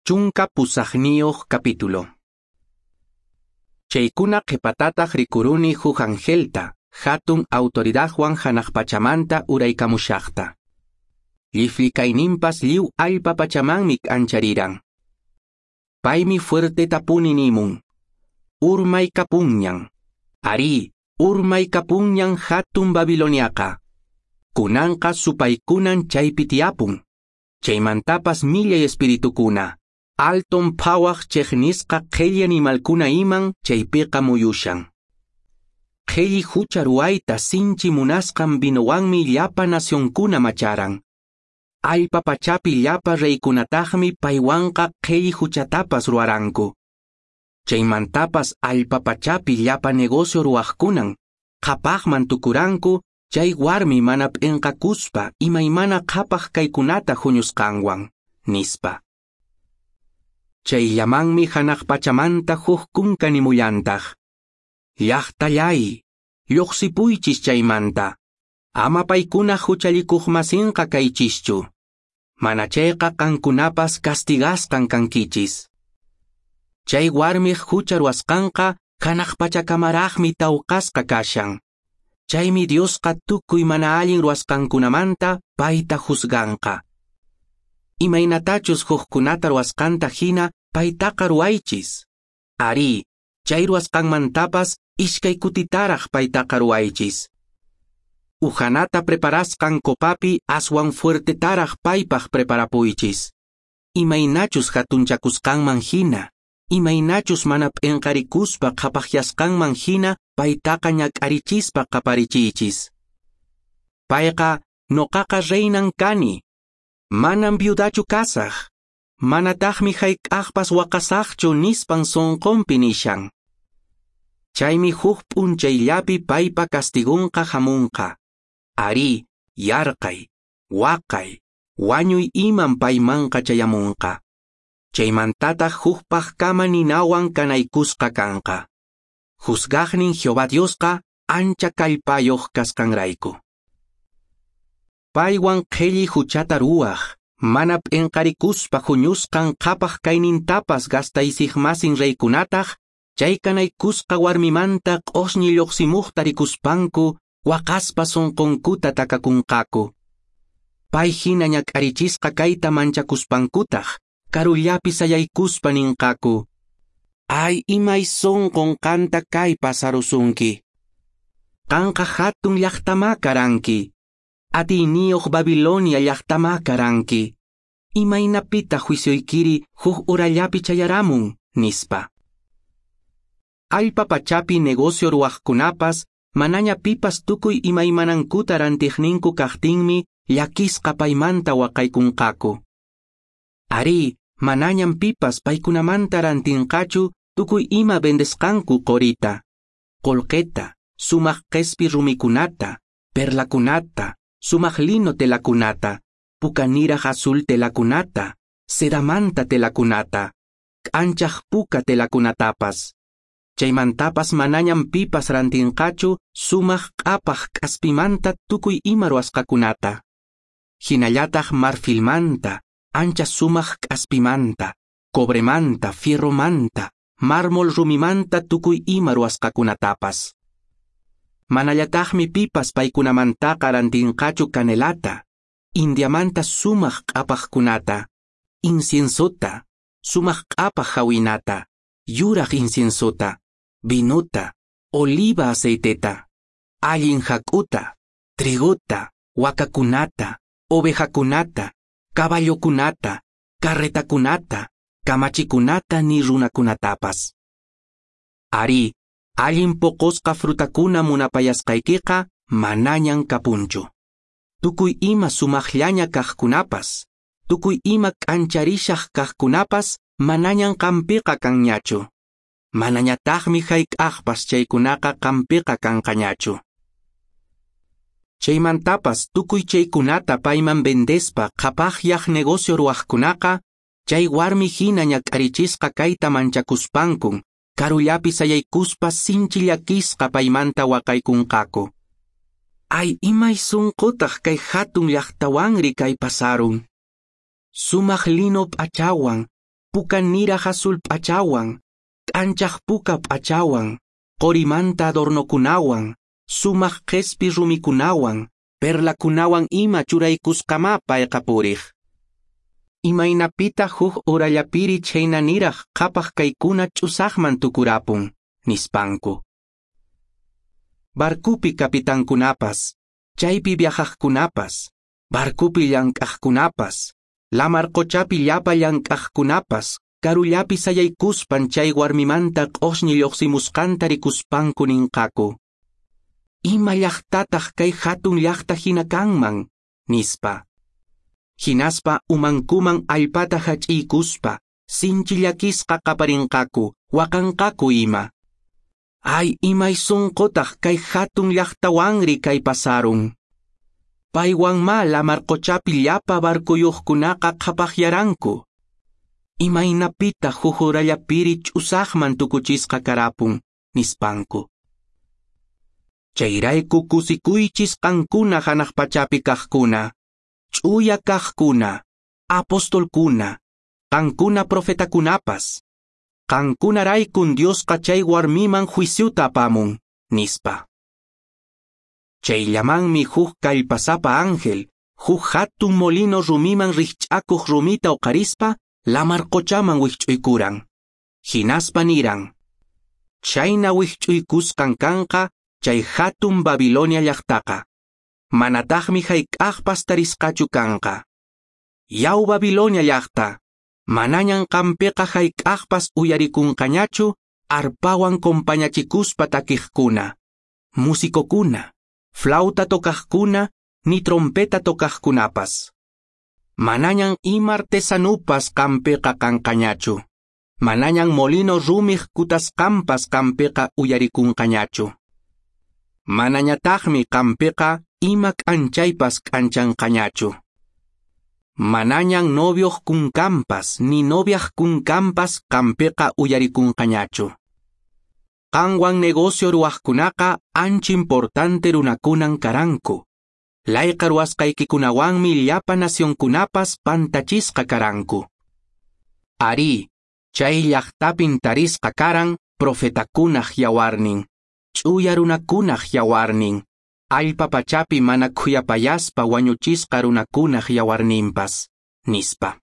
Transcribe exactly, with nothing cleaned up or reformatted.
Chunka pusaqniyuq capítulo. Chaykuna qhipatataq rikuruni huk angelta, hatun autoridadwan hanaq pachamanta uraykamushaqta. Lliflikayninpas lliw allpa pachamanmi k'anchariran. Paymi fuertetapuni nimun: Urmaykapunñan. Arí, urmaykapunñan hatun Babiloniaqa. Kunanqa supaykunan chaypi tiyapun. Chaymantapas millay espiritukuna, alton phawaq chiqnisqa qhilli animalkuna iman chaypiqa muyushan. Qhilli hucha ruwayta sinchi munasqan vinowanmi llapa nacionkuna macharan. Allpa pachapi llapa reykunataqmi paywanqa qhilli huchatapas ruwaranku. Chaymantapas allpa pachapi llapa negocio ruwaqkunan qhapaqman tukuranku chay warmi mana p'inqakuspa imaymana qhapaq kaykunata huñusqanwan, nispa. Chayllamanmi hanaq pachamanta huk kunka nimullantaq: Llaqtallay, lluqsipuychis chaymanta, ama paykuna huchallikuqmasinqa kaychischu, mana chayqa qankunapas castigasqan kankichis. Chay warmiq hucha ruwasqanqa hanaq pachakamaraqmi tawqasqa kashan. Chaymi Diosqa tukuy mana allin ruwasqankunamanta payta juzganqa. Imaynatachus hukkunata ruwasqanta hina paytaqa ruwaychis. Arí, chay ruwasqanmantapas iskay kutitaraq paytaqa ruwaychis. Uhanata preparasqan copapi aswan fuertetaraq paypaq preparapuychis. Imaynachus hatunchakusqanman hina, imaynachus mana p'inqarikuspa qhapaqyasqanman hina paytaqa ñak'arichispa qaparichiychis. Payqa noqaqa reinan kani, manam viudachu kasaq, manataqmi hayk'aqpas waqasaqchu nispan sunqunpi nishan. Chaymi huk p'unchayllapi paypa castigunqa hamunqa. Arí, yarqay, waqay, wañuy iman paymanqa chayamunqa. Chaymantataq hukpaqkama ninawan kanaykusqa kanqa. Juzgaqnin Jehová Diosqa ancha kallpayuq kasqanrayku. Paywan qhilli huchata ruwaq, mana p'inqarikuspa huñusqan qhapaq kaynintapas gastaysiqmasin reykunataq, chay kanaykusqa warmimanta q'osñi lluqsimuqta rikuspanku waqaspa sunqunkuta takakunqaku. Pay hina ñak'arichisqa kayta manchakuspankutaq, karullapi sayaykuspa ninqaku: Ay, imay sunqun qanta kay pasarusunki. Qanqa hatun llaqtamá karanki. Atiyniyuq Babilonia llaqtamá karanki. Imaynapitaq juicioykiri huk urallapi chayaramun, nispa. Allpa pachapi negocio ruwaqkunapas manaña pipas tukuy imaymanankuta rantiqninku kaqtinmi llakisqa paymanta waqaykunqaku. Arí, manañam pipas paykunamanta rantinqachu tukuy ima vendesqanku qorita, qullqita, sumaq qespi rumikunata, perlakunata, sumaq lino telakunata, pukaniraq azul telakunata, sedamanta telakunata, k'anchaq puka telakunatapas. Chaymantapas manañam pipas rantinqachu sumaq q'apaq k'aspimanta tukuy ima ruwasqakunata. Hinallataq marfilmanta, ancha sumaq k'aspimanta, cobremanta, fierromanta, mármol rumimanta tukuy ima ruwasqakunatapas. Manallataqmi pipas paykunamantaqa rantinqachu canelata, Indiamanta sumaq q'apaqkunata, inciensota, sumaq q'apaq hawinata, yuraq inciensota, vinuta, oliva aceiteta, allin hak'uta, triguta, wakakunata, ovejakunata, caballokunata, carretakunata, kamachikunata ni runakunatapas. Arí, allin poqosqa frutakuna munapayasqaykiqa manañan kapunchu. Tukuy ima sumaqllaña kaqkunapas, tukuy ima k'ancharishaq kaqkunapas manañan qampiqa kanñachu. Manañataqmi hayk'aqpas chaykunaqa qampiqa kanqañachu. Chaymantapas tukuy chaykunata payman vendespa qhapaqyaq negocio ruwaqkunaqa, chay warmi hina ñak'arichisqa kayta manchakuspankun, karullapi sayaykuspa sinchi llakisqa paymanta waqaykunqaku. Ay, imay sunqutaq kay hatun llaqtawanri kay pasarun. Sumaq lino p'achawan, Puka niraq azul p'achawan, k'anchaq puka p'achawan, qorimanta adornokunawan, sumaq qespi rumikunawan, perlakunawan ima churaykusqamá payqa puriq. Imaynapitaq huk horallapiri chhayna niraq qhapaq kaykuna ch'usaqman tukurapun, nispanku. Barcupi capitankunapas, chaypi viajaqkunapas, barcupi llank'aqkunapas, lamar qochapi llapa llank'aqkunapas, karullapi sayaykuspan chay warmimanta q'osñi lluqsimusqanta rikuspanku ninqaku. Ima llaqtataq kay hatun llaqta hina kanman, nispa. Hinaspa umankuman allpata hach'iykuspa, sinchi llakisqa qaparinqaku, waqanqaku ima. Ay, imay sunqutaq kay hatun llaqtawanri kay pasarun. Paywanmá lamar qochapi llapa barcuyuqkunaqa qhapaqyaranku. Imaynapitaq huk horallapiri ch'usaqman tukuchisqa karapun, nispanku. Chayrayku kusikuychis qankuna hanaq pachapi kaqkuna, ch'uya kaqkuna, apostolkuna, qankuna profetakunapas. Qankunaraykun Diosqa chay warmiman juiciuta apamun, nispa. Chayllamanmi huk kallpasapa ángel, huk hatun molino rumiman rikch'akuq rumita uqarispa, lamar qochaman wikch'uykuran. Hinaspa niran. Chayna wikch'uykusqan kanqa chay hatun Babilonia llaqtaqa. Manataqmi hayk'aqpas tarisqachu kanqa. Yaw Babilonia llaqta, manañan qampiqa hayk'aqpas uyarikunqañachu arpawan compañachikuspa takiqkuna, musicokuna, flauta tocaqkuna, ni trompeta tocaqkunapas. Manañan ima artesanupas qampiqa kanqañachu. Manañan molino rumiq kutasqanpas qampiqa uyarikunqañachu. Manañataqmi qampiqa ima k'anchaypas k'anchanqañachu. Manañan novioq kunkanpas ni noviaq kunkanpas qampiqa uyarikunqañachu. Qanwan negocio ruwaqkunaqa ancha importante runakunan karanku. Layqa ruwasqaykikunawanmi llapa nacionkunapas pantachisqa karanku. Arí, chay llaqtapin tarisqa karan profetakunaq yawarnin, ch'uya runakunaq yawarnin, allpa pachapi mana khuyapayaspa wañuchisqa runakunaq yawarninpas, nispa.